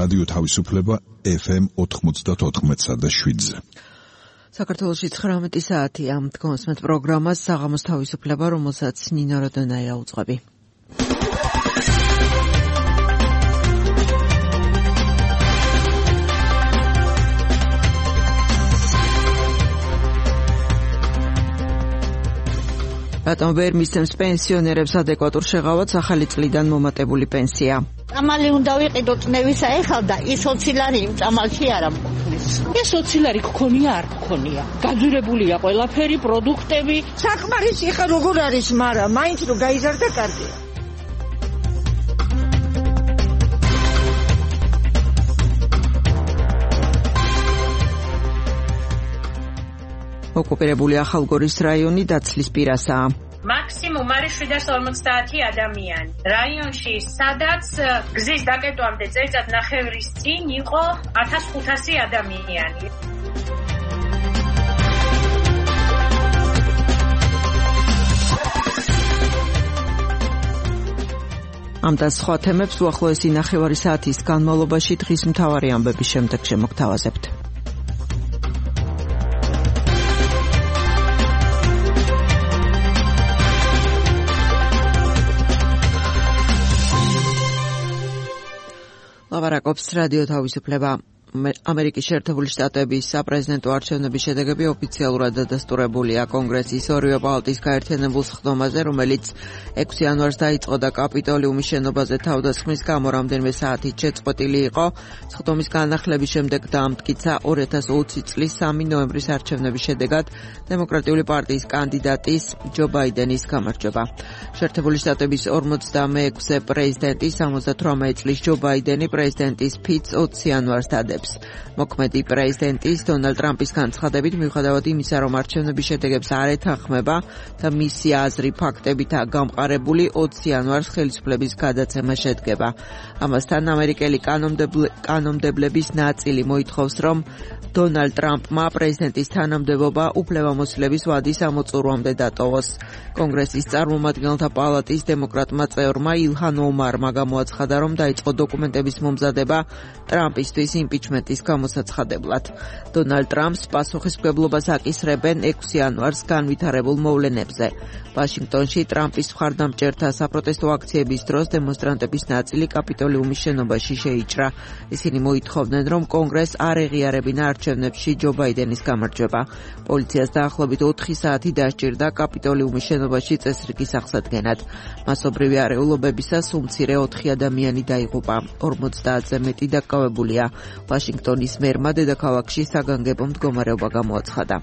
რადიო თავისუფლება FM 94.7-ზე. საქართველოში 19 საათია. დგომსმეთ პროგრამას საღამოს თავისუფლება, რომელსაც ნინო როდონაია უძღვები. რატომ ვერ მისცემს პენსიონერებს ადეკვატურ შეღავათს ახალი წლიდან მომატებული პენსია? წამალი უნდა ვიყიდო წნევისა ეხლა და ის 20 ლარი იმ წამალში არ ამყოფნის. ეს 20 ლარი გქონია არ გქონია. გაძვირებულია ყველაფერი, პროდუქტები. საკმარისი ხა როგორ არის, მაგრამ მაინც რომ გაიზარდა კარგია. ოკუპირებული ახალგორის რაიონი დაცლის პირასაა. მაქსიმუმ არის 750 ადამიანი. რაიონში, სადაც გზის დაკეტვამდე წელიწად ნახევრის წინ იყო 1500 ადამიანი. ამ და სხვა თემებს უახლოესი ნახევარი საათის განმავლობაში დღის მთავარი ამბების შემდეგ შემოგთავაზებთ. ლავარაკობს რადიო თავისუფლება. ამერიკის შეერთებული შტატების საპრეზიდენტო არჩევნების შედეგები ოფიციალურად დადასტურებულია კონგრესის ორივე პალატის გაერთიანებულ სხდომაზე, რომელიც 6 იანვარს დაიწყო და კაპიტოლიუმის შენობაზე თავდასხმის გამო რამდენიმე საათით შეწყვეტილი იყო. სხდომის განახლების შემდეგ დაამტკიცა 2020 წლის 3 ნოემბრის არჩევნების შედეგად დემოკრატიული პარტიის კანდიდატის ჯო ბაიდენის გამარჯვება. შეერთებული შტატების 46-ე პრეზიდენტი 78 წლის ჯო ბაიდენი პრეზიდენტის ფიცს 20 იანვარს დადებს. მოქმედი პრეზიდენტის დონალდ ტრამპის განცხადებით, მიუხედავად იმისა, რომ არჩევნების შედეგებს არ ეთანხმება და მისი აზრი ფაქტებითაა გამყარებული, 20 იანვარს ხელისუფლების გადაცემა შედგება. ამასთან ამერიკელი კანონმდებლების ნაწილი მოითხოვს, რომ დონალდ ტრამპმა პრეზიდენტის თანამდებობა უფლებამოსილების ვადის ამოწურვამდე დატოვოს. კონგრესის წარმომადგენელთა პალატის დემოკრატმა წევრმა ილჰან ომარმა გამოაცხადა, რომ დაიწყო დოკუმენტების მომზადება ტრამპისთვის იმპიჩმენტის გამოსაცხადებლად. დონალდ ტრამპს პასუხისმგებლობას აკისრებენ 6 იანვარს განვითარებულ მოვლენებზე. ვაშინგტონში ტრამპის მხარდამჭერთა საპროტესტო აქციების დროს დემონსტრანტების ნაწილი კაპიტოლიუმის შენობაში შეიჭრა. ისინი მოითხოვდნენ, რომ კონგრესს არ ეღიარებინა არჩევნებში ჯო ბაიდენის გამარჯვება. პოლიციას დაახლოებით 4 საათი დასჭირდა კაპიტოლიუმის შენობაში წესრიგის აღსადგენად. მასობრივი არეულობებისას უმცირე 4 ადამიანი დაიღუპა. 50-ზე მეტი დაკავებულია. ვაშინგტონის მერმა დედაქალაქში საგანგებო მდგომარეობა გამოაცხადა.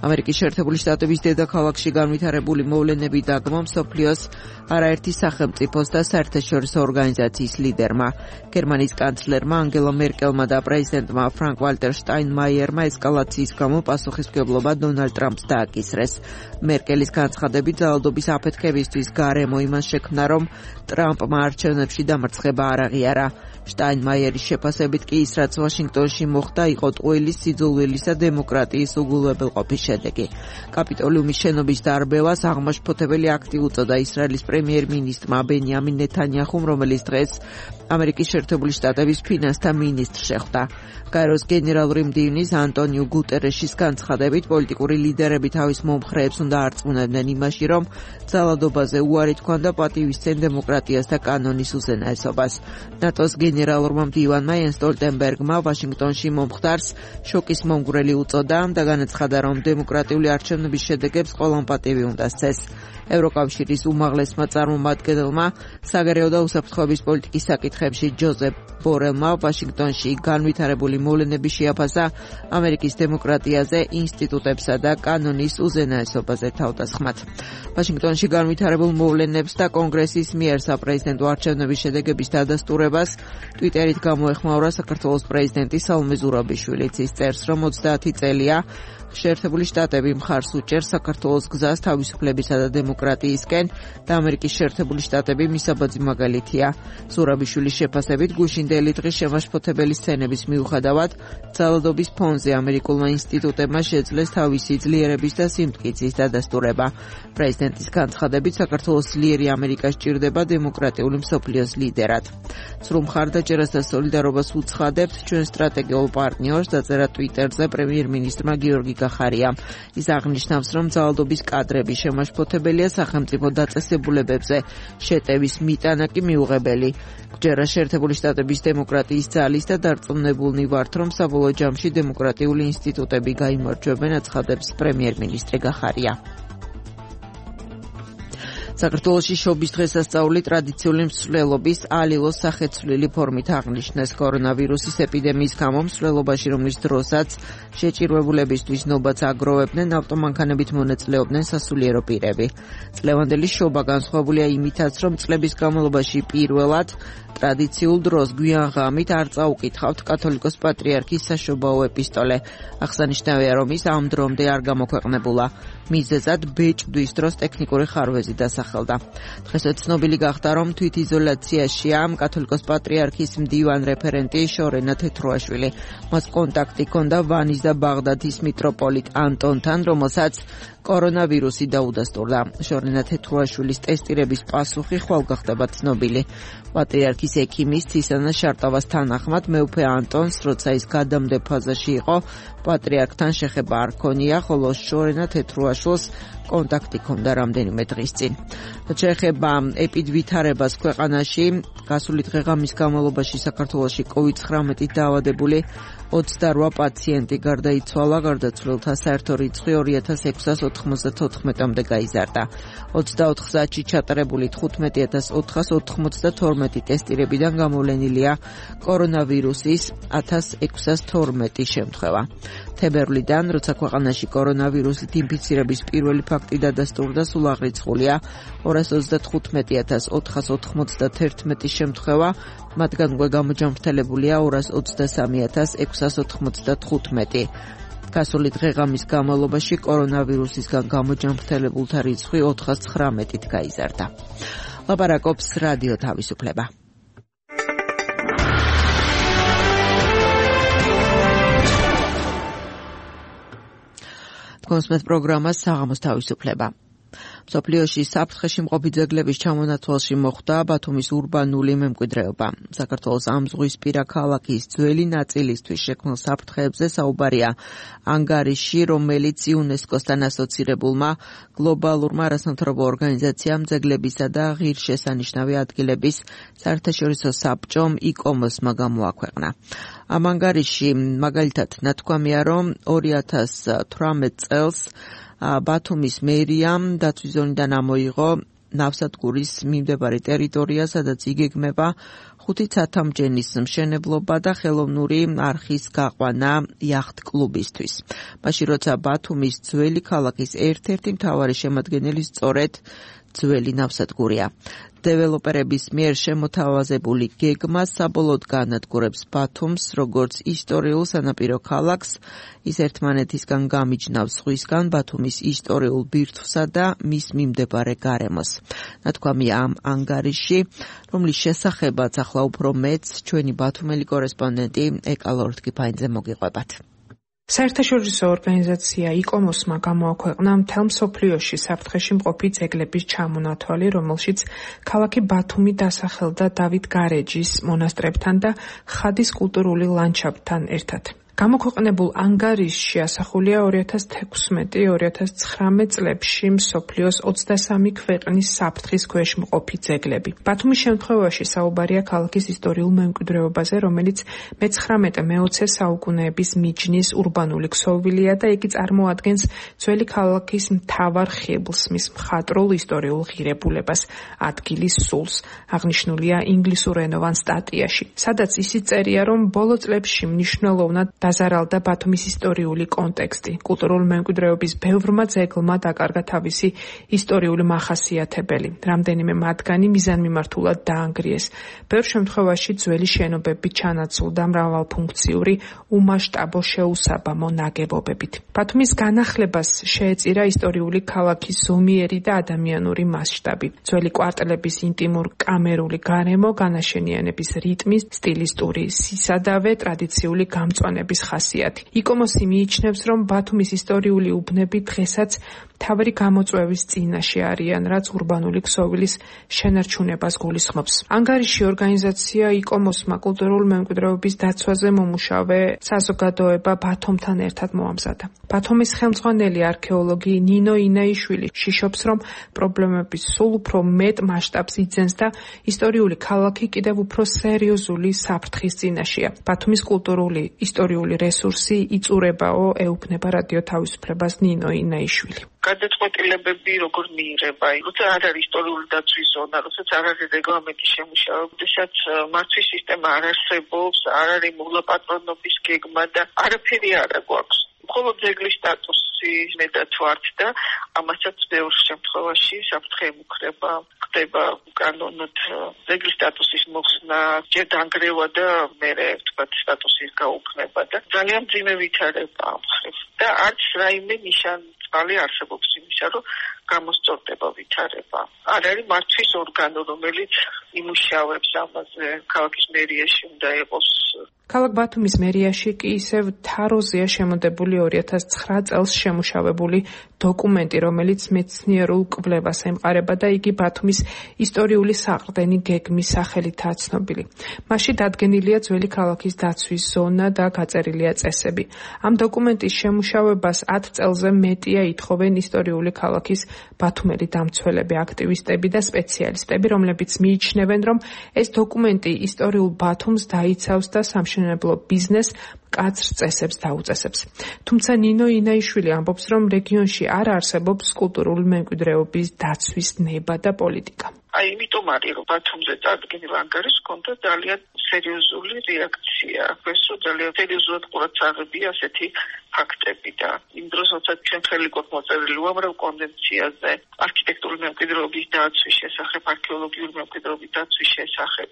ამერიკის შეერთებული შტატების დედაქალაქში განვითარებული მოვლენები დაგმო მსოფლიოს არაერთი სახელმწიფოს და საერთაშორისო ორგანიზაციის ლიდერმა. გერმანიის კანცლერმა ანგელა მერკელმა და პრეზიდენტმა ფრანკ ვალტერ შტაინმაიერმა ესკალაციის გამო პასუხისმგებლობა დონალდ ტრამპს დააკისრეს. მერკელის განცხადებით ძალადობის აფეთქებისთვის გარემო იმას შექმნა, რომ ტრამპმა არჩევნებში დამარცხება არ აღიარა. შტაინმაიერის შეფასებით კი ის, რაც ვაშინგტონში მოხდა, იყო ტყუილის, სიძულვილისა და დემოკრატიის უგულებელყოფის შედეგი. კაპიტოლიუმის შენობის დარბევას აღმაშფოთებელი აქტი უწოდა ისრაელის პრემიერ-მინისტრმა ბენიამინ ნეთანიაჰუმ, რომელიც დღეს ამერიკის შეერთებული შტატების ფინანსთა მინისტრს შეხვდა. გაეროს გენერალური მდივნის ანტონიუ გუტერეშის განცხადებით, პოლიტიკური ლიდერები თავის მომხრეებს უნდა არწმუნებდნენ იმაში, რომ ძალადობაზე უარი თქვან და პატივისცენ დემოკრატიას და კანონის უზენაესობას. ნატოს გენერალურმა მდივანმა იენს სტოლტენბერგმა ვაშინგტონში მომხდარს შოკის მომგვრელი უწოდა და განაცხადა, რომ დემოკრატიული არჩევნების შედეგებს ყველამ პატივი უნდა სცეს. ევროკავშირის უმაღლესმა წარმომადგენელმა საგარეო და უსაფრთხოების პოლიტიკის საკითხებში ჯოზეფ ბორელმა ვაშინგტონში განვითარებული მოვლენები შეაფასა ამერიკის დემოკრატიაზე, ინსტიტუტებსა და კანონის უზენაესობაზე თავდასხმად. ვაშინგტონში განვითარებულ მოვლენებს და კონგრესის მიერ საპრეზიდენტო არჩევნების შედეგების დადასტურებას ტვიტერით გამოეხმაურა საქართველოს პრეზიდენტი სალომე ზურაბიშვილიც. ის წერს, რომ 30 წელია შეერთებული შტატები მხარს უჭერს საქართველოს გზას თავისუფლებისა და დემოკრატიისკენ და ამერიკის შეერთებული შტატები მისაბაძი მაგალითია. ზურაბიშვილის შეფასებით გუშინდელი დღის შემაშფოთებელი სცენების მიუხედავად ძალადობის ფონზე ამერიკულმა ინსტიტუტებმა შეძლეს თავისი ძლიერების და სიმტკიცის დადასტურება. პრეზიდენტის განცხადებით საქართველოს ძლიერი ამერიკა სჭირდება დემოკრატიული მსოფლიოს ლიდერად. სრულ მხარდაჭერას და სოლიდარობას უცხადებთ ჩვენ სტრატეგიულ პარტნიორს, დაწერა ტვიტერზე პრემიერ-მინისტრმა გიორგი გახარიამ. ის აღნიშნავს, რომ ძალადობის კადრები შემაშფოთებელია სახელმწიფო დაწესებულებებზე, შეტევის მიტანა კი მიუღებელი. გჯერა შეერთებული შტატების დემოკრატიის ძალის და დარწმუნებულნი ვართ, რომ საბოლოო ჯამში დემოკრატიული ინსტიტუტები გაიმარჯვებენ, აცხადებს პრემიერ-მინისტრი გახარია. საქართველოში შობის დღესასწაული ტრადიციული მსვლელობის ალილოს სახეცვლილი ფორმით აღნიშნეს. კორონავირუსის ეპიდემიის გამო მსვლელობაში, რომლის დროსაც შეჭირვებულებისთვის ნობაც აგროვებდნენ, ავტომანქანებით მონაწილეობდნენ სასულიერო პირები. წლევანდელი შობა განსხვავებულია იმითაც, რომ წლების განმავლობაში პირველად ტრადიციულ დროს გვიან ღამით არ წაუკითხავთ კათოლიკოს პატრიარქის საშობაო ეპისტოლე. აღსანიშნავია, რომ ის ამ დრომდე არ გამოქვეყნებულა. მიზეზად ბეჭდვის დროს ტექნიკური ხარვეზი დასახელდა. დღესაც ცნობილი გახდა, რომ თვითიზოლაციაშია კათოლიკოს პატრიარქის მდივან რეფერენტი შორენა თეთრუაშვილი. მას კონტაქტი ჰქონდა ვანის და ბაღდადის მიტროპოლიტ ანტონთან, რომელსაც კორონავირუსი დაუდასტურდა. შორენა თეთრუაშვილის ტესტირების პასუხი ხვალ გახდება ცნობილი. პატრიარქის ექიმის ცისანა შარტავას თანახმად მეუფე ანტონს, როცა ის გადამდე ფაზაში იყო, პატრიარქთან შეხება არ ჰქონია, ხოლო შორენა თეთრუაშვილს კონტაქტი ჰქონდა რამდენიმე დღის წინ. შეეხება ეპიდვითარებას ქვეყანაში, გასული დღე-ღამის განმავლობაში საქართველოში COVID-19 დაავადებული 28 პაციენტი გარდაიცვალა, გარდაცვლილთა საერთო რიცხვი 2694-მდე გაიზარდა. 24 საათში ჩატარებული 15492 ტესტირებიდან გამოვლენილია კორონავირუსის 1612 შემთხვევა. თებერვლიდან, როცა ქვეყანაში კორონავირუსით ინფიცირების პირველი ფაქტი დადასტურდა, სულ აღრიცხულია 228491 შემთხვევა, მათგან უკვე გამოჯამრთელებულია 223695. გასული დღე-ღამის განმავლობაში კორონავირუსისგან გამოჯამრთელებულთა რიცხვი 419-ით გაიზარდა. ლაპარაკობს რადიო თავისუფლება. კონსმეთ პროგრამა საღამოს თავისუფლება. მსოფლიოში საფრთხეში მყოფი ძეგლების ჩამონათვალში მოხვდა ბათუმის ურბანული მემკვიდრეობა. საქართველოს ამ ზღვისპირა ქალაქის ძველი ნაწილისთვის შექმნილ საფრთხეებზე საუბარია ანგარიში, რომელიც იუნესკოს-თან ასოცირებულმა გლობალურმა არასამთავრობო ორგანიზაციამ ძეგლებისა და ღირსშესანიშნავი ადგილების საერთაშორისო საბჭომ ICOMOS-მა გამოაქვეყნა. ამ ანგარიში მაგალითად ნათქვამია, რომ 2018 წელს ბათუმის მერიამ დაცვის ზონიდან ამოიღო ნავსადგურის მიმდებარე ტერიტორია, სადაც იგეგმება 5 ცათამბჯენის მშენებლობა და ხელოვნური არხის გაყვანა იახტ-კლუბისთვის. მაშინ როცა ბათუმის ძველი ქალაქის ერთ-ერთი მთავარი შემადგენელი სწორედ ძველი ნავსადგურია. დეველოპერების მიერ შემოთავაზებული გეგმა საბოლოოდ განადგურებს ბათუმს როგორც ისტორიულ სანაპირო ქალაქს, ის ერთმანეთისგან გამიჯნავ ზღვისგან ბათუმის ისტორიულ ბირთვსა და მის მიმდებარე გარემოს. ნათქვამია ამ ანგარიში, რომლის შესახებაც ახლა უფრო მეც ჩვენი ბათუმელი კორესპონდენტი ეკალორთ კიფაინძე მოგიყვებათ. საერთაშორისო ორგანიზაცია ICOMOS-მა გამოაქვეყნა მთელ მსოფლიოში საფრთხეში მყოფი ძეგლების ჩამონათვალი, რომელშიც ქალაქი ბათუმი დასახელდა დავით გარეჯის მონასტრებთან და ხადის კულტურული ლანდშაფტთან ერთად. გამოქვეყნებულ ანგარიშში ასახულია 2016-2019 წლებში მსოფლიოს 23 ქვეყნის საფრთხის ქვეშ მყოფი ძეგლები. ბათუმის შემთხვევაში საუბარია ქალაქის ისტორიულ მემკვიდრეობაზე, რომელიც მე-19-მე-20 საუკუნეების მიჯნის ურბანული ქსოვილია და იგი წარმოადგენს ძველი ქალაქის მთავარ ხიბლს, მის მხატვრულ ისტორიულ ღირებულებას, ადგილის სულს. აღნიშნულია ინგლისურენოვან სტატიაში, სადაც ისიც წერია, რომ ბოლო წლებში მნიშვნელოვნად დაზარალდა ბათუმის ისტორიული კონტექსტი. კულტურული მემკვიდრეობის ბევრმა ძეგლმა დაკარგა თავისი ისტორიული მახასიათებელი. რამდენიმე მათგანი მიზანმიმართულად დაანგრიეს. ბევრ შემთხვევაში ძველი შენობები ჩანაცვლდა მრავალფუნქციური, უმასშტაბო შეუსაბამო ნაგებობებით. ბათუმის განახლებას შეეწირა ისტორიული ქალაქის ზომიერი და ადამიანური მასშტაბი. ძველი კვარტლების ინტიმურ კამერული გარემო, განაშენიანების რიტმის, სტილისტური სისადავე, ტრადიციული გამწვანების ხასიათი. იკომოსი მიიჩნევს, რომ ბათუმის ისტორიული უბნები დღესაც მთავარი გამოწვევის წინაშე არიან, რაც ურბანული ქსოვილის შენარჩუნებას გულისხმობს. ანგარიში ორგანიზაცია იკომოსმა კულტურული მემკვიდრეობის დაცვაზე მომუშავე საზოგადოება ბათუმთან ერთად მოამზადა. ბათუმის ხელმძღვანელი არქეოლოგი ნინო ინაიშვილი შიშობს, რომ პრობლემების სულ უფრო მეტ მასშტაბს იძენს და ისტორიული ქალაქი კიდევ უფრო სერიოზული საფრთხის წინაშეა. ბათუმის კულტურული ისტორიული რესურსი იწურებაო, ეუბნება რადიო თავისუფლებას ნინო ინაიშვილი. გადაწყვეტილებები როგორ მიიღება, როცა არ არის ისტორიული დაცვის ზონა, როცა არ არის რეგლამენტი შემუშავება, როდესაც მართვის სისტემა არ არსებობს, არ არის მოვლა-პატრონობის გეგმა და არაფერი არ გვაქვს. მხოლოდ ძეგლის სტატუსი მეტად ვართ და ამასაც ბევრ შემთხვევაში საფრთხე ემუქრება, ხდება კანონად ძეგლის სტატუსის მოხსნა, ჯერ დანგრევა და მერე თქვათ სტატუსის გაუქმება და ძალიან მძიმე ვითარება ამ მხრივ და არც რაიმე ნიშანი არსებობს იმისა, რომ გამოსწორდება ვითარება. არ არის მართვის ორგანო, რომელიც იმუშავებს ამაზე. ქალაქის მერიაში უნდა იყოს. ქალაქ ბათუმის მერიაში კი ისევ თაროზეა შემოდებული 2009 წელს შემუშავებული დოკუმენტი, რომელიც მეცნიერულ კვლევას ემყარება და იგი ბათუმის ისტორიული საყრდენი გეგმის სახელითაა ცნობილი. მასში დადგენილია ძველი ქალაქის დაცვის ზონა და გაწერილია წესები. ამ დოკუმენტის შემუშავებას 10 წელზე მეტია ითხოვენ ისტორიული ქალაქის ბათუმელი დამცველები, აქტივისტები და სპეციალისტები, რომლებიც მიიჩნევენ, რომ ეს დოკუმენტი ისტორიულ ბათუმს დაიცავს და სამშენებლო ბიზნესს მკაცრ წესებს დაუწესებს. თუმცა ნინო ინაიშვილი ამბობს, რომ რეგიონში არ არსებობს კულტურული მემკვიდრეობის დაცვის ნება და პოლიტიკა. იმიტომ არის, რომ ბათუმზე წარდგენილ ანგარიშს ჰქონდა ძალიან სერიოზული რეაქცია. ესო ძალიან სერიოზულად ყურადღებია ასეთი ფაქტები და იმ დროს, როცა ჩვენ ხელი გვაქვს მოწერილი უამრავ კონვენციაზე, არქიტექტურული მემკვიდრეობის დაცვის შესახებ, არქეოლოგიური მემკვიდრეობის დაცვის შესახებ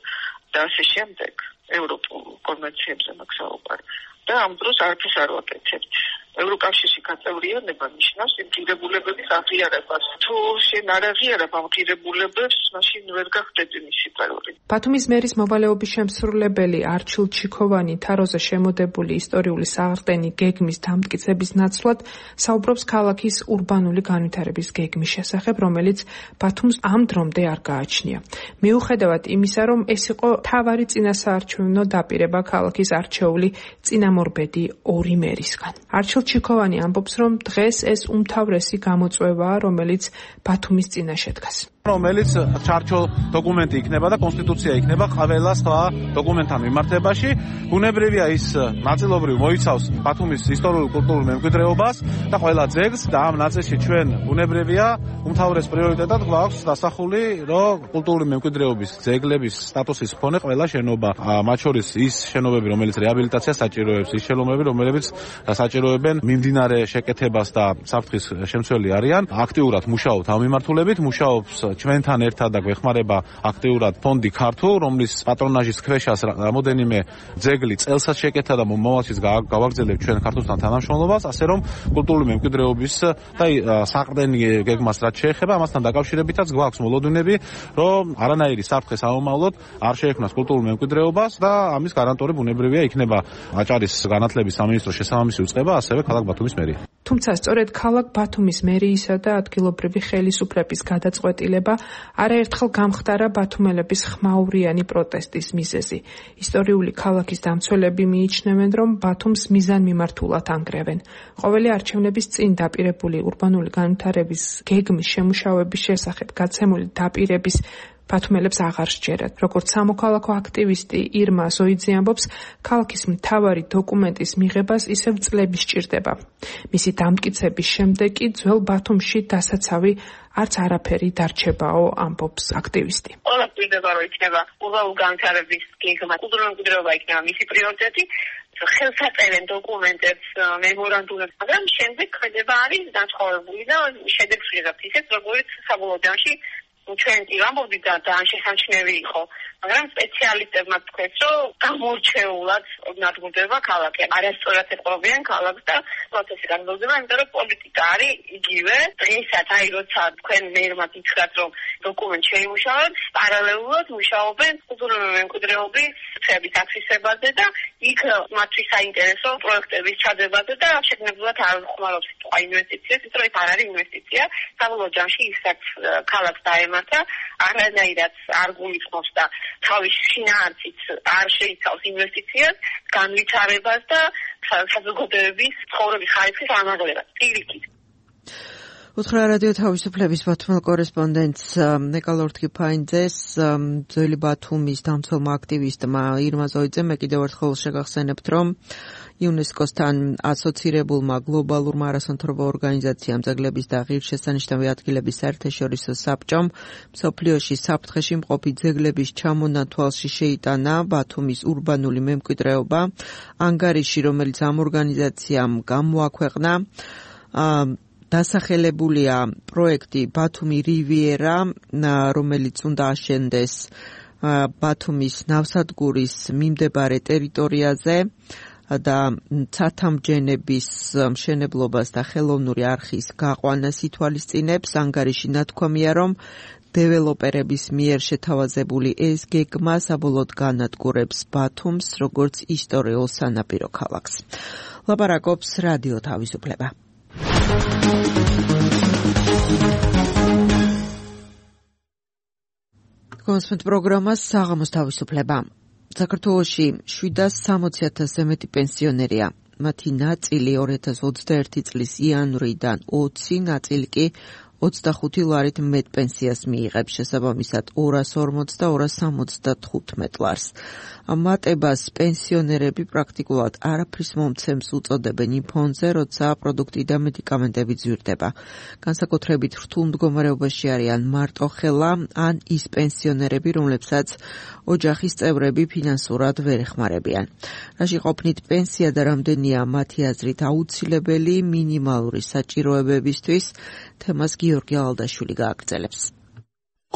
და ასე შემდეგ, ევროპულ კონვენციებზე მაქვს საუბარი. და ამ დროს არაფერს არ ვაკეთებთ. ევროკავშირში გაწევრიანება ნიშნავს იმ ღირებულებების აღიარებას. თუ შენ არ აღიარებ ამ ღირებულებებს, მაშინ ვერ გახდები მისი პარორი. ბათუმის მერის მოვალეობის შემსრულებელი არჩილ ჩიქოვანი თაროზე შემოდებული ისტორიული საყრდენი გეგმის დამტკიცების ნაცვლად საუბრობს ქალაქის ურბანული განვითარების გეგმის შესახებ, რომელიც ბათუმს ამ დრომდე არ გააჩნია. მიუხედავად იმისა, რომ ეს იყო მთავარი წინასაარჩევნო დაპირება ქალაქის არჩეული წინამორბედი ორი მერისგან. არჩილ ჩიქოვანი ამბობს, რომ დღეს ეს უმთავრესი გამოწვევაა, რომელიც ბათუმის წინაშე დგას. რომელიც ჩარჩო დოკუმენტი იქნება და კონსტიტუცია იქნება ყველა სხვა დოკუმენტთან მიმართებაში. ბუნებრივია ის ნაწილობრივ მოიცავს ბათუმის ისტორიულ კულტურულ მემკვიდრეობას და ყველა ძეგლს და ამ ნაწილში ჩვენ ბუნებრივია უმთავრეს პრიორიტეტად გვაქვს დასახული, რომ კულტურული მემკვიდრეობის ძეგლების სტატუსის მქონე ყველა შენობა, მათ შორის ის შენობები, რომელიც რეაბილიტაციას საჭიროებს, ის შენობები, რომლებიც საჭიროებენ მიმდინარე შეკეთებას და საფრთხის შემცველი არიან. აქტიურად მუშაობთ ამ მიმართულებით, მუშაობს ჩვენთან ერთად და გვეხმარება აქტიურად ფონდი ქართულ, რომლის პატრონაჟის ქვეშაც რამოდენიმე ძეგლი წელსაც შეკეთა და მომავალშიც გავაგრძელებთ ჩვენ ქართულთან თანამშრომლობას, ასე რომ კულტურული მემკვიდრეობის და საყრდენი გეგმას რაც შეეხება, ამასთან დაკავშირებითაც გვაქვს მოლოდინები, რომ არანაირი საფრთხე საომავლოდ არ შეექმნას კულტურულ მემკვიდრეობას და ამის გარანტორი ბუნებრივია იქნება აჭარის განათლების სამინისტროს შესაბამისი უწყება, ასევე ქალაქ ბათუმის მერია. თუმცა სწორედ ქალაქ ბათუმის მერიისა და ადგილობრივი ხელისუფლების გადაწყვეტილება არაერთხელ გამხდარა ბათუმელების ხმაურიანი პროტესტის მიზეზი. ისტორიული ქალაქის დამცველები მიიჩნევენ, რომ ბათუმს მიზანმიმართულად ანგრევენ. ყოველი არჩევნების წინ დაპირებული ურბანული განვითარების გეგმის შემუშავების შესახებ გაცემული დაპირების ბათუმელებს აღარ სჯერათ. როგორც სამოქალაქო აქტივისტი ირმა ზოიძე ამბობს, ქალაქის მთავარი დოკუმენტის მიღებას ისევ წლები სჭირდება. მისი დამტკიცების შემდეგ კი ძველ ბათუმში დასაცავი არც არაფერი დარჩებაო, ამბობს აქტივისტი. ყველა პირდება, რომ იქნება ურბანული განვითარების გეგმა, კულტურული მემკვიდრეობა იქნება მისი პრიორიტეტი ხელსაწერენ დოკუმენტებს, მემორანდუმებს, მაგრამ შემდეგ ხედება არის დათხოვებული და შედეგს ვიღებთ ისეთ, როგორც საბოლოო ჯამში ჩვენ ვამბობდით და შესამჩნევი იყო, მაგრამ სპეციალისტებმა თქვეს, რომ გამორჩეულად ნადგურდება ქალაქი. არასწორად ეყრობიან ქალაქს და პროცესი განმავლდება, იმიტომ რომ პოლიტიკა არის იგივე. დღესაც აი როცა თქვენ მერმაც ითხრათ, რომ დოკუმენტი შეიმუშავოთ, პარალელურად მუშაობენ კულტურული მემკვიდრეობის სფეროების აფიქსირებაზე და იქ მათთვის საინტერესო პროექტების ჩადებაზე და შეგნებულად არ ხმარობს სიტყვა ინვესტიციას, იმიტომ რომ ეს არ არის ინვესტიცია. საბოლოო ჯამში ისაც ქალაქს დაემართა, არანაირად არ გულისხმობს და თავის შინაარსით არ შეიცავს ინვესტიციას, განვითარებას და საზოგადოების ცხოვრების ხარისხის ამაღლებას. პირიქით. უთხრა რადიო თავისუფლების ბათუმელ კორესპონდენტს ნეკალორთ კიფაინძეს, ძველი ბათუმის დამცველმა აქტივისტმა ირმა ზოიძემ კიდევ ერთხელ შეგახსენებთ, რომ იუნესკოს-თან ასოცირებულმა გლობალურმა არასამთავრობო ორგანიზაციამ ძეგლების და ღირსშესანიშნავი ადგილების საერთაშორისო საბჭომ მსოფლიოში საფრთხეში მყოფი ძეგლების ჩამონათვალში შეიტანა ბათუმის ურბანული მემკვიდრეობა. ანგარიში, რომელიც ამ ორგანიზაციამ გამოაქვეყნა, დასახელებულია პროექტი ბათუმი რივიერა, რომელიც უნდა აშენდეს ბათუმის ნავსადგურის მიმდებარე ტერიტორიაზე და ცათამბჯენების მშენებლობას და ხელოვნური არხის გაყვანას ითვალისწინებს. ანგარიში ნათქვამია, რომ დეველოპერების მიერ შეთავაზებული ეს გეგმა საბოლოოდ განადგურებს ბათუმს როგორც ისტორიულ სანაპირო ქალაქს. ლაპარაკობს რადიო თავისუფლება. კონსპект პროგრამას საღამოს თავისუფლება. საქართველოში 760,000-ზე მეტი პენსიონერია. მათი ნაწილი 2021 წლის იანვრიდან 20 ნაწილი კი 25 ლარით მეტ პენსიას მიიღებს, შესაბამისად 240 და 275 ლარს. ამ მატებას პენსიონერები პრაქტიკულად არაფრის მომცემს უწოდებენ იმ ფონზე, როცა პროდუქტი და მედიკამენტები ძვირდება. განსაკუთრებით რთულ მდგომარეობაში არიან მარტოხელა ან ის პენსიონერები, რომლებსაც ოჯახის წევრები ფინანსურად ვერ ეხმარებიან. რაში ყოფნით პენსია და რამდენია მათი აზრით აუცილებელი მინიმალური საჭიროებებისთვის, თემას გიორგი ალდაშვილი გააგრძელებს.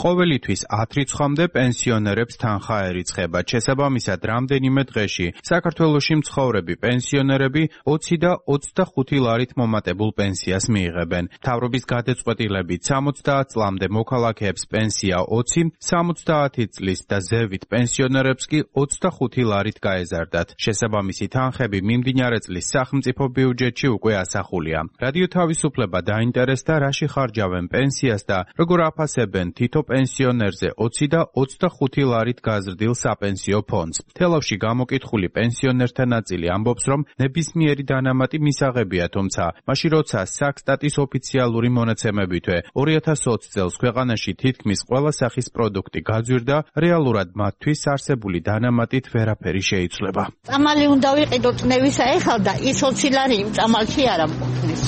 ყოველთვის 10 რიცხვამდე პენსიონერებს თანხა ერიცხება. შესაბამისად, რამდენიმე დღეში საქართველოში მცხოვრები პენსიონერები 20 და 25 ლარით მომატებულ პენსიას მიიღებენ. მთავრობის გადაწყვეტილებით 70 წლამდე მოქალაქეებს პენსია 20, 70 წლის და ზევით პენსიონერებს კი 25 ლარით გაეზარდათ. შესაბამისი თანხები მიმდინარე წლის სახელმწიფო ბიუჯეტში უკვე ასახულია. რადიო თავისუფლება დაინტერესდა, რაში ხარჯავენ პენსიას და როგორ აფასებენ თითო პენსიონერზე 20 და 25 ლარით გაზრდილ საპენსიო ფონდს. თელავში გამოკითხული პენსიონერთა ნაწილი ამბობს, რომ ნებისმიერი დანამატი მისაღებია, თუმცა მაშინ როცა საქსტატის ოფიციალური მონაცემებითვე 2020 წელს ქვეყანაში თითქმის ყველა სახის პროდუქტი გაძვირდა, რეალურად მათთვის არსებული დანამატით ვერაფერი შეიცვლება. წამალი უნდა ვიყიდო წნევისა ეხლა და ის 20 ლარი იმ წამალში არ ამყოფნის.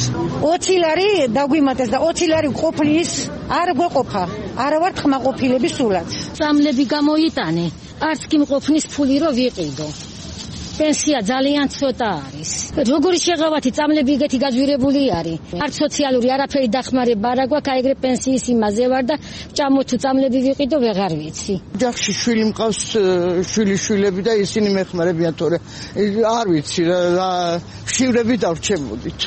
20 ლარი დაგვიმატეს და 20 ლარი ყოფნის არ გვეყოფა. არ ვარ ხმაყოფილები სულაც. წამლები გამოიტანე, არც კი მყოფნის ფული რო ვიყიდო. პენსია ძალიან ცოტა არის. როგორი შეღავათი წამლები ეგეთი გაძვირებული არის. არც სოციალური არაფერი დახმარება არ აქვს, აიგრე პენსიის იმაზე ვარ და ჭამო თუ წამლები ვიყიდო ვეღარ ვიცი. ოჯახში შვილი მყავს, შვილები და ისინი მეხმარებიან, თორე არ ვიცი რა შივრები დავრჩებოდით.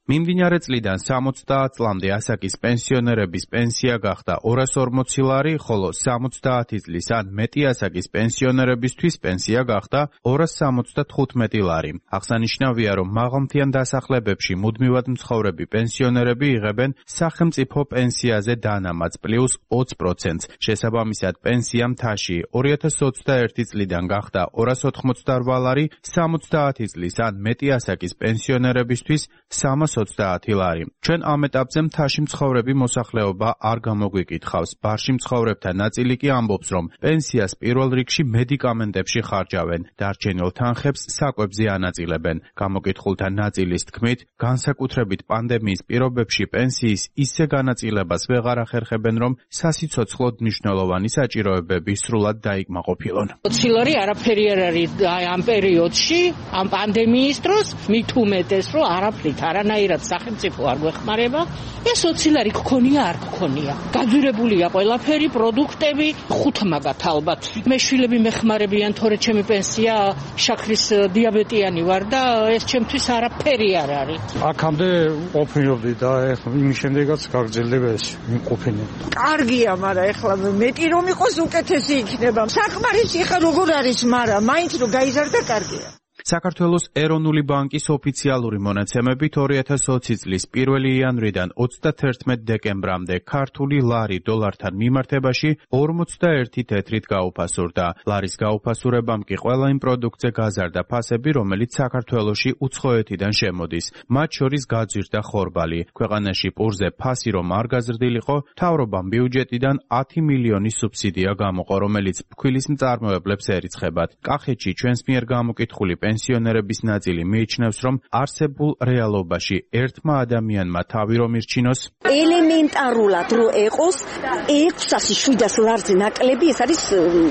მიმდინარე წლიდან 70 წლამდე ასაკის პენსიონერების პენსია გახდა 240 ლარი, ხოლო 70 წლის ან მეტი ასაკის პენსიონერებისთვის პენსია გახდა 275 ლარი. აღსანიშნავია, რომ მაღალმთიან დასახლებებში მუდმივად მცხოვრები პენსიონერები იღებენ სახელმწიფო პენსიაზე დანამატს პლუს 20%. შესაბამისად, პენსია მთაში 2021 წლიდან გახდა 288 ლარი, 70 წლის ან მეტი ასაკის პენსიონერებისთვის 300 220 ლარი. ჩვენ ამ ეტაპზე მთაში მცხოვრები მოსახლეობა არ გამოგვიკითხავს. ბარში მცხოვრებთა ნაწილი კი ამბობს, რომ პენსიას პირველ რიგში მედიკამენტებში ხარჯავენ, დარჩენილ თანხებს საკვებზე ანაწილებენ. გამოკითხულთა ნაწილის თქმით, განსაკუთრებით პანდემიის პირობებში პენსიის ისე განაწილებას ვეღარ ახერხებენ, რომ სასიცოცხლოდ მნიშვნელოვანი საჭიროებები სრულად დაიკმაყოფილონ. 20 ლარი არაფერი არ არის ამ პერიოდში, ამ პანდემიის დროს, მით უმეტეს, რომ არაფრით არანაირად სახელმწიფო არ გვეხმარება. ეს 20 ლარი გქონია, არ გქონია. გაძვირებულია ყველაფერი, პროდუქტები, 5 მაგათ ალბათ. მე შვილები მეხმარებიან, თორე ჩემი პენსია შაქრის დიაბეტიანი ვარ და ეს ჩემთვის არაფერი არ არის. აქამდე ყოფილობდი და ეხლა იმის შემდეგაც გაგრძელდება ეს იმყოფინე. კარგია, მაგრამ ეხლა მეტი რომ იყოს უკეთესი იქნება. საკმარისი ხა როგორ არის, მაგრამ მაინც რომ გაიზარდა კარგია. საქართველოს ეროვნული ბანკის ოფიციალური მონაცემებით 2020 წლის 1 იანვრიდან 31 დეკემბრამდე ქართული ლარი დოლართან მიმართებაში 41 თეთრით გაუფასურდა. ლარის გაუფასურებამ კი ყველა იმ პროდუქტზე გაზარდა ფასები, რომელიც საქართველოში უცხოეთიდან შემოდის. მათ შორის გაძვირდა ხორბალი. ქვეყანაში პურზე ფასი რომ არ გაზრდილიყო, მთავრობამ ბიუჯეტიდან 10 მილიონი სუბსიდია გამოყო, რომელიც ფქვილის მწარმოებლებს ერიცხებათ. კახეთში ჩვენს მიერ გამოკითხული პენსიონერების ნაწილი მიიჩნევს, რომ არსებულ რეალობაში ერთმა ადამიანმა თავი რომ ირჩინოს, ელემენტარულად რო ეყოს 600-700 ლარზე ნაკლები, ეს არის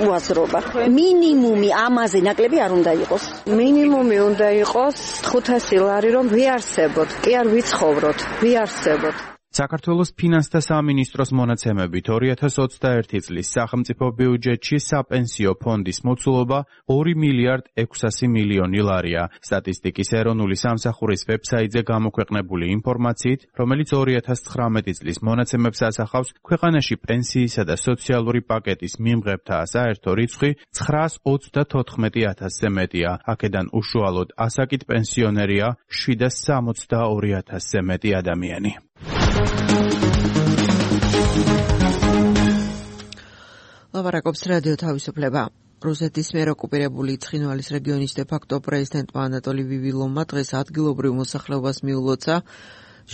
უაზრობა. მინიმუმი ამაზე ნაკლები არ უნდა იყოს. მინიმუმი უნდა იყოს 500 ლარი, რომ ვიარსებოთ, კი არ ვიცხოვროთ, ვიარსებოთ. საქართველოს ფინანსთა სამინისტროს მონაცემებით 2021 წლის სახელმწიფო ბიუჯეტში საპენსიო ფონდის მოცულობა 2 მილიარდ 600 მილიონი ლარია. სტატისტიკის ეროვნული სამსახურის ვებსაიტზე გამოქვეყნებული ინფორმაციით, რომელიც 2019 წლის მონაცემებს ასახავს, ქვეყანაში პენსიისა და სოციალური პაკეტის მიმღებთა საერთო რიცხვი 924,000-ზე მეტია. აქედან უშუალოდ ასაკით პენსიონერია 762,000-ზე მეტი ადამიანი. ლაპარაკობს რადიო თავისუფლება. რუსეთის მიერ ოკუპირებული ცხინვალის რეგიონის დე-ფაქტო პრეზიდენტმა ანატოლი ვივილოვმა დღეს ადგილობრივ მოსახლეობას მიულოცა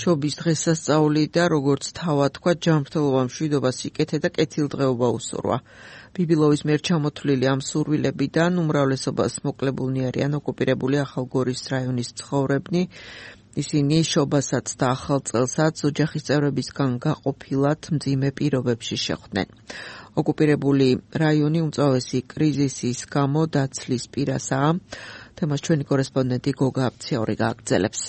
შობის დღესასწაული და როგორც თავად თქვა, ჯანმრთელობა მშვიდობას იკეთე და კეთილდღეობა უსურვა. ვივილოვის მიერ ჩამოთვლილი ამ სურვილებიდან უმრავლესობას მოკლებულნი არიან ოკუპირებული ახალგორის რაიონის მცხოვრებნი. ისინი შობასაც და ახალ წელსაც ოჯახის წევრებისგან გაყოფილად მძიმე პირობებში შეხვდნენ. ოკუპირებული რაიონი უმწვავესი კრიზისის გამო დაცლის პირასაა. თემას ჩვენი კორესპონდენტი გოგა აფციაური გააგრძელებს.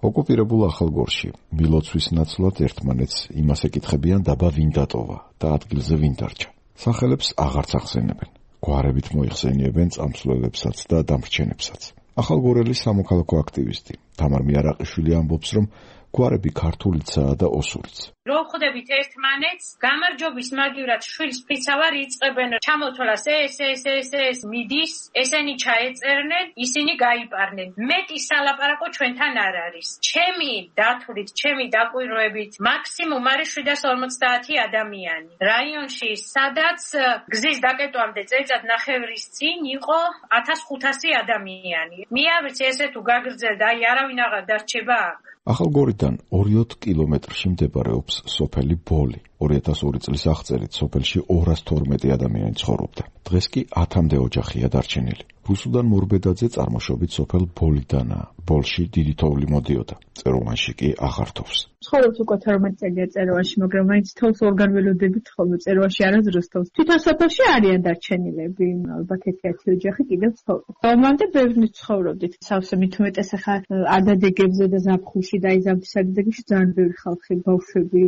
ოკუპირებულ ახალგორში მილოცვის ნაცვლად ერთმანეთს იმას ეკითხებიან დაბა ვინ დატოვა და ადგილზე ვინ დარჩა. სახელებს აღარც ახსენებენ. გვარებით მოიხსენიებენ წამსვლელებსაც და დამრჩენებსაც. ახალგორელი სამოქალაქო აქტივისტი თამარ მიარაყიშვილი ამბობს, რომ გვარები ქართულიცაა და ოსურიც. რო ხვდებით ერთმანეთს, გამარჯობის მაგივრად შვილს ფიცავარ იწყებენ, ჩამოთვალას ეს მიდის, ესენი ჩაეწერნენ, ისინი გაიპარნენ. მეტი სალაპარაკო ჩვენთან არ არის. ჩემი დათვლით, ჩემი დაკვირვებით, მაქსიმუმ არის 750 ადამიანი. რაიონში, სადაც გზის დაკეტვამდე წელიწად ნახევრის წინ იყო 1500 ადამიანი. მიავრცე ესე თუ გაგრძელდა, აი არავინ აღარ დარჩება აქ. ახალგორიდან 20 კილომეტრში მდებარეობს სოფელი ბოლი. 2002 წლის აღწერით სოფელში 212 ადამიანი ცხოვრობდა. დღეს კი 10-მდე ოჯახია დარჩენილი. რუსუდან მორბედაძე წარმოშობით სოფელ ბოლიდანაა. ბოლში დიდი თოვლი მოდიოდა. წეროვანში კი აღარ თოვს. ცხოვრობს უკვე 12 წელია წეროვანში, მაგრამ მაინც თოვს ორგან ველოდებით ხოლმე წეროვანში არასდროს თოვს. თვითონ სოფელში არიან დარჩენილები, ალბათ 1-1 ოჯახი კიდევ ცხოვრობს. რომამდე ბევრი ცხოვრობდით. სავსე მით უმეტეს ახლა ადადეგებზე და ზაფხულში და აი ზამთრის ადადეგებში ძალიან ბევრი ხალხი, ბავშვები,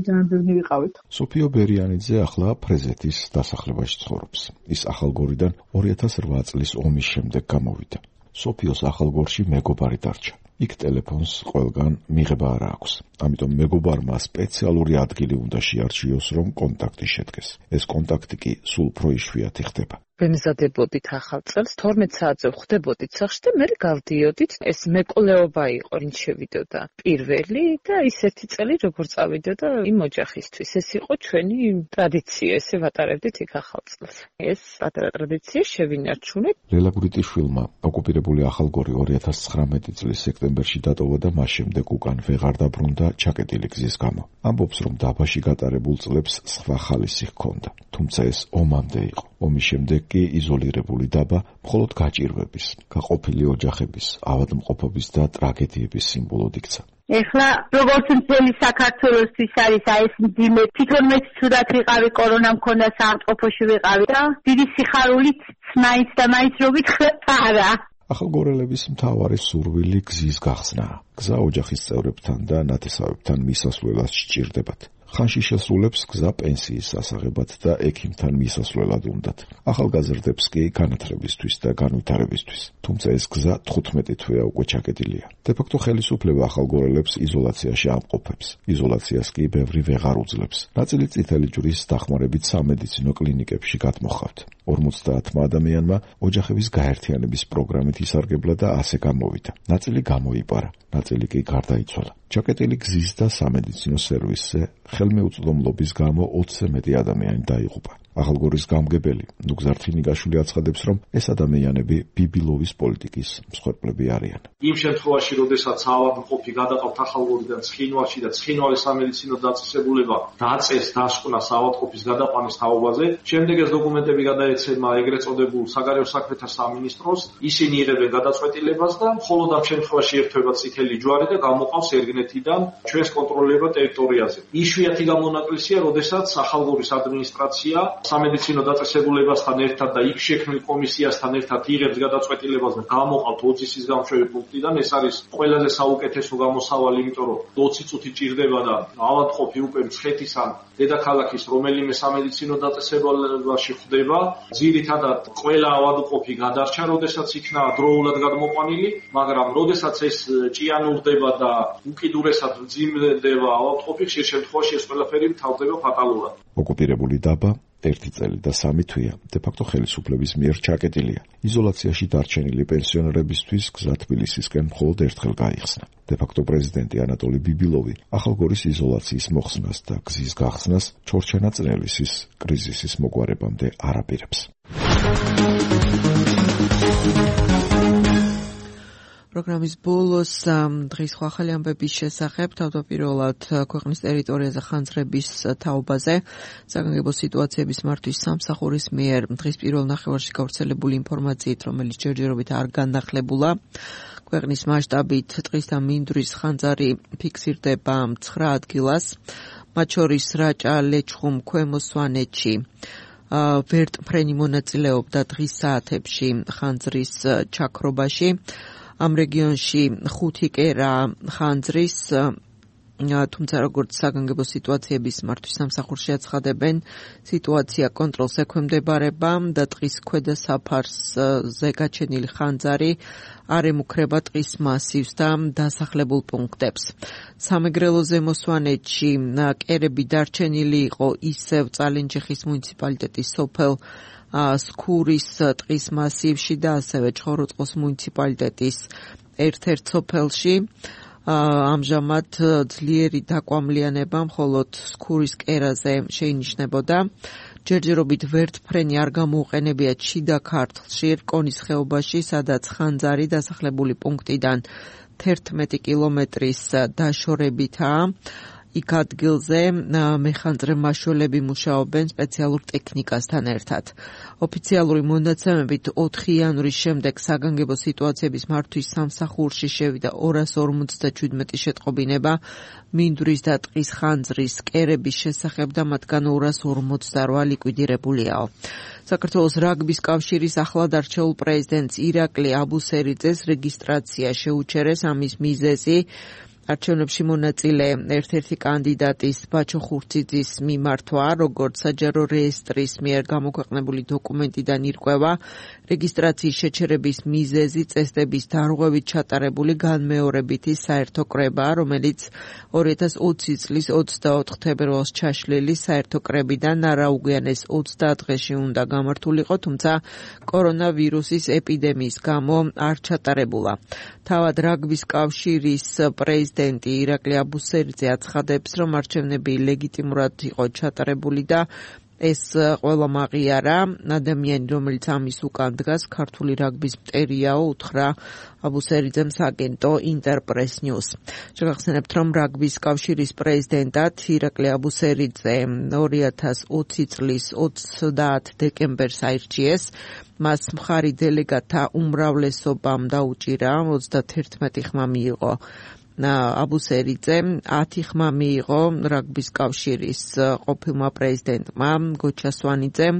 ძალიან ბევრი ვიყავით. სოფიო ბერიანიძე ახლა ფრეზეთის დასახლებაში ცხოვრობს. ის ახალგორიდან 2008 წლის ომის შემდეგ გამოვიდა. სოფიოს ახალგორში მეგობარი დარჩა. იქ ტელეფონს ყველგან მიღება არ აქვს. ამიტომ მეგობარმა სპეციალური ადგილი უნდა შეარჩიოს, რომ კონტაქტი შედგეს. ეს კონტაქტი კი სულ უფრო იშვიათი ხდება. ვემზადებოდით ახალ წელს 12 საათზე ვხვდებოდით სახლში და მე გავდიოდით. ეს მეკვლეობა იყო, ვინც შევიდოდა პირველი და ის ერთი წელი როგორ წავიდოდა იმ ოჯახისთვის. ეს იყო ჩვენი ტრადიცია, ესე ვატარებდით იქ ახალ წელს. ეს პატარა ტრადიცია შევინარჩუნეთ. ლელა გურიტიშვილმა ოკუპირებული ახალგორი 2019 წლის სექტემბერში დატოვა და მას შემდეგ უკან ვეღარ დაბრუნდა ჩაკეტილი გზის გამო. ამბობს, რომ დაბაში გატარებულ წლებს სხვა ხალისი ჰქონდა, თუმცა ეს ომამდე იყო. ომის შემდეგ კი იზოლირებული დაბა მხოლოდ გაჭირვების, გაყოფილი ოჯახების, ავადმყოფობის და ტრაგედიების სიმბოლოდ იქცა. ეხლა როგორც მთელი საქართველოსთვის არის ეს მძიმე, თვითონ მეც ცუდად ვიყავი, კორონა მქონდა, საავადმყოფოში ვიყავი და დიდი სიხარულით მაინც და მაინც რო ვითხრათ არა. ახალგორელების მთავარი სურვილი გზის გახსნაა. გზა ოჯახის წევრებთან და ნათესავებთან მისასვლელად სჭირდებათ. ხანში შესრულებს გზა პენსიის სასაღებად და ექიმთან მისასვლელად უნდათ. ახალგაზრდებს კი განათლებისთვის და განვითარებისთვის. თუმცა ეს გზა 15 თვეა უკვე ჩაკეტილია. დე-ფაქტო ხელისუფლება ახალგორელებს იზოლაციაში ამყოფებს. იზოლაციას კი ბევრი ვეღარ უძლებს. ნაწილი წითელი ჯვრის დახმარებით სამედიცინო კლინიკებში გადმოჰყავთ. 50 ადამიანმა ოჯახების გაერთიანების პროგრამით ისარგებლა და ასე გამოვიდა. ნაწილი გამოიპარა, ნაწილი კი გარდაიცვალა. ჩაკეტილი გზის და სამედიცინო სერვისზე ხელმეუწვდომლობის გამო 20-ზე მეტი ადამიანი დაიღუპა. ახალგორის გამგებელი ნუგზარ თინიგაშვილი აცხადებს, რომ ეს ადამიანები ბიბილოვის პოლიტიკის მსხვერპლები არიან. იმ შემთხვევაში, როდესაც ავადმყოფი გადაყავთ ახალგორიდან ცხინვალში და ცხინვალის სამედიცინო დაწესებულება დაწეს დასკვნას ავადმყოფის გადაყვანის თაობაზე, შემდეგ ეს დოკუმენტები გადაეცემა ეგრეთ წოდებულ საგარეო საქმეთა სამინისტროს, ისინი იღებენ გადაწყვეტილებას და მხოლოდ ამ შემთხვევაში ერთვება წითელი ჯვარი და გამოყავს ერგნეთიდან ჩვენს კონტროლირებად ტერიტორიაზე. იშვიათი გამონაკლისია, როდესაც ახალგორის ადმინისტრაცია სამედიცინო დაწესებულებასთან ერთად და იქ შექმნილ კომისიასთან ერთად იღებს გადაწყვეტილებას და გამოყავთ 20 წლის გამშვები პუნქტიდან. ეს არის ყველაზე საუკეთესო გამოსავალი, იმიტომ რომ 20 წუთი ჭირდება და ავადმყოფი უკვე მცხეთის ან დედაქალაქის რომელიმე სამედიცინო დაწესებულებაში ხვდება. ძირითადად ყველა ავადმყოფი გადარჩა, როდესაც იქნა დროულად გადმოყვანილი, მაგრამ როდესაც ეს ჭიანურდება და უკიდურესად მძიმდება ავადმყოფი, ხშირ შემთხვევაში ეს ყველაფერი მთავრდება ფატალურად. ოკუპირებული დაბა 1 წელი და 3 თვეა დე-ფაქტო ხელისუფლების მიერ ჩაკეტილია. იზოლაციაში დარჩენილი პენსიონერებისთვის გზა თბილისისკენ მხოლოდ ერთხელ გაიხსნა. დე-ფაქტო პრეზიდენტი ანატოლი ბიბილოვი ახალგორის იზოლაციის მოხსნას და გზის გახსნას ჩორჩენაწნელისის კრიზისის მოგვარებამდე არ აპირებს. პროგრამის ბოლოს დღის ახალი ამბების შესახებ თავდაპირველად ქვეყნის ტერიტორიაზე ხანძრების თაობაზე საგანგებო სიტუაციების მართვის სამსახურის მიერ დღის პირველ ნახევარში გავრცელებული ინფორმაციით, რომელიც ჯერჯერობით არ განახლებულა, ქვეყნის მასშტაბით ტყის და მინდვრის ხანძარი ფიქსირდება 9 ადგილას, მათ შორის რაჭა, ლეჩხუმ, ქვემო სვანეთში. ვერტმფრენი მონაწილეობდა დღის საათებში ხანძრის ჩაქრობაში. ამ რეგიონში 5 კერა ხანძრის, თუმცა როგორც საგანგებო სიტუაციების მართვის სამსახურში აცხადებენ, სიტუაცია კონტროლს ექვემდებარება და ტყის ქვედა საფარზე გაჩენილი ხანძარი არ ემუქრება ტყის მასივს და დასახლებულ პუნქტებს. სამეგრელო ზემო სვანეთში კერები დარჩენილი იყო ისევ წალენჯიხის მუნიციპალიტეტის სოფელ სქურის ტყის მასივში და ასევე ჭოროწყოს მუნიციპალიტეტის ერთ-ერთ სოფელში. ამჟამად ძლიერი დაკვამლიანება მხოლოდ სქურის კერაზე შეინიშნებოდა. ჯერჯერობით ვერტმფრენი არ გამოუყენებიათ შიდა ქართლში, რკონის ხეობაში, სადაც ხანძარი დასახლებული პუნქტიდან 11 კილომეტრის დაშორებითაა. იქ ადგილზე მეხანძრე მაშველები მუშაობენ სპეციალურ ტექნიკასთან ერთად. ოფიციალური მონაცემებით 4 იანვრის შემდეგ საგანგებო სიტუაციების მართვის სამსახურში შევიდა 257 შეტყობინება მინდვრის და ტყის ხანძრის კერების შესახებ და მათგან 248 ლიკვიდირებულიაო. საქართველოს რაგბის კავშირის ახლად არჩეულ პრეზიდენტს ირაკლი აბუსერიძეს რეგისტრაცია შეუჩერეს. ამის მიზეზი არჩევნებში მონაწილე ერთ-ერთი კანდიდატის ბაჩო ხურციძის მიმართვა, როგორც საჯარო რეესტრის მიერ გამოქვეყნებული დოკუმენტიდან ირკვევა, რეგისტრაციის შეჩერების მიზეზი წესდების დარღვევით ჩატარებული განმეორებითი საერთო კრებაა, რომელიც 2020 წლის 24 თებერვალს ჩაშლილი საერთო კრებიდან არაუგვიანეს 30 დღეში უნდა გამართულიყო, თუმცა კორონავირუსის ეპიდემიის გამო არ ჩატარებულა. თავად რაგბის კავშირის პრეზიდენტი ირაკლი აბუსერიძე აცხადებს, რომ არჩევნები ლეგიტიმურად იყო ჩატარებული და ეს ყველა მაღიარა. ადამიანი, რომელიც ამის უკან დგას, ქართული რაგბის მტერიაო, უთხრა აბუსერიძემ სააგენტო ინტერპრეს ნიუს. შეგახსენებთ, რომ რაგბის კავშირის პრეზიდენტად ირაკლი აბუსერიძე 2020 წლის 30 დეკემბერს აირჩიეს. მას მხარი დელეგატთა უმრავლესობამ დაუჭირა, 31 ხმა მიიღო აბუსერიძე, 10 ხმა მიიღო რაგბის კავშირის ყოფილმა პრეზიდენტმა გოჩა სვანიძემ.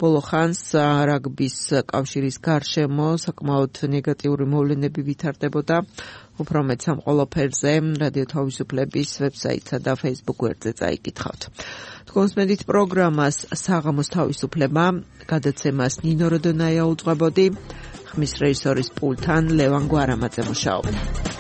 ბოლო ხანს რაგბის კავშირის გარშემო საკმაოდ ნეგატიური მოვლენები ვითარდებოდა. უფრო მეტ ამ ყველაფერზე რადიო თავისუფლების ვებსაიტსა და Facebook გვერდზე წაიკითხავთ. თქვენს მედით პროგრამას საღამოს თავისუფლება, გადაცემას ნინო როდონაია უძღვებოდი, ხმის რეჟისორის პულთან ლევან გვარამაძე მუშაობდა.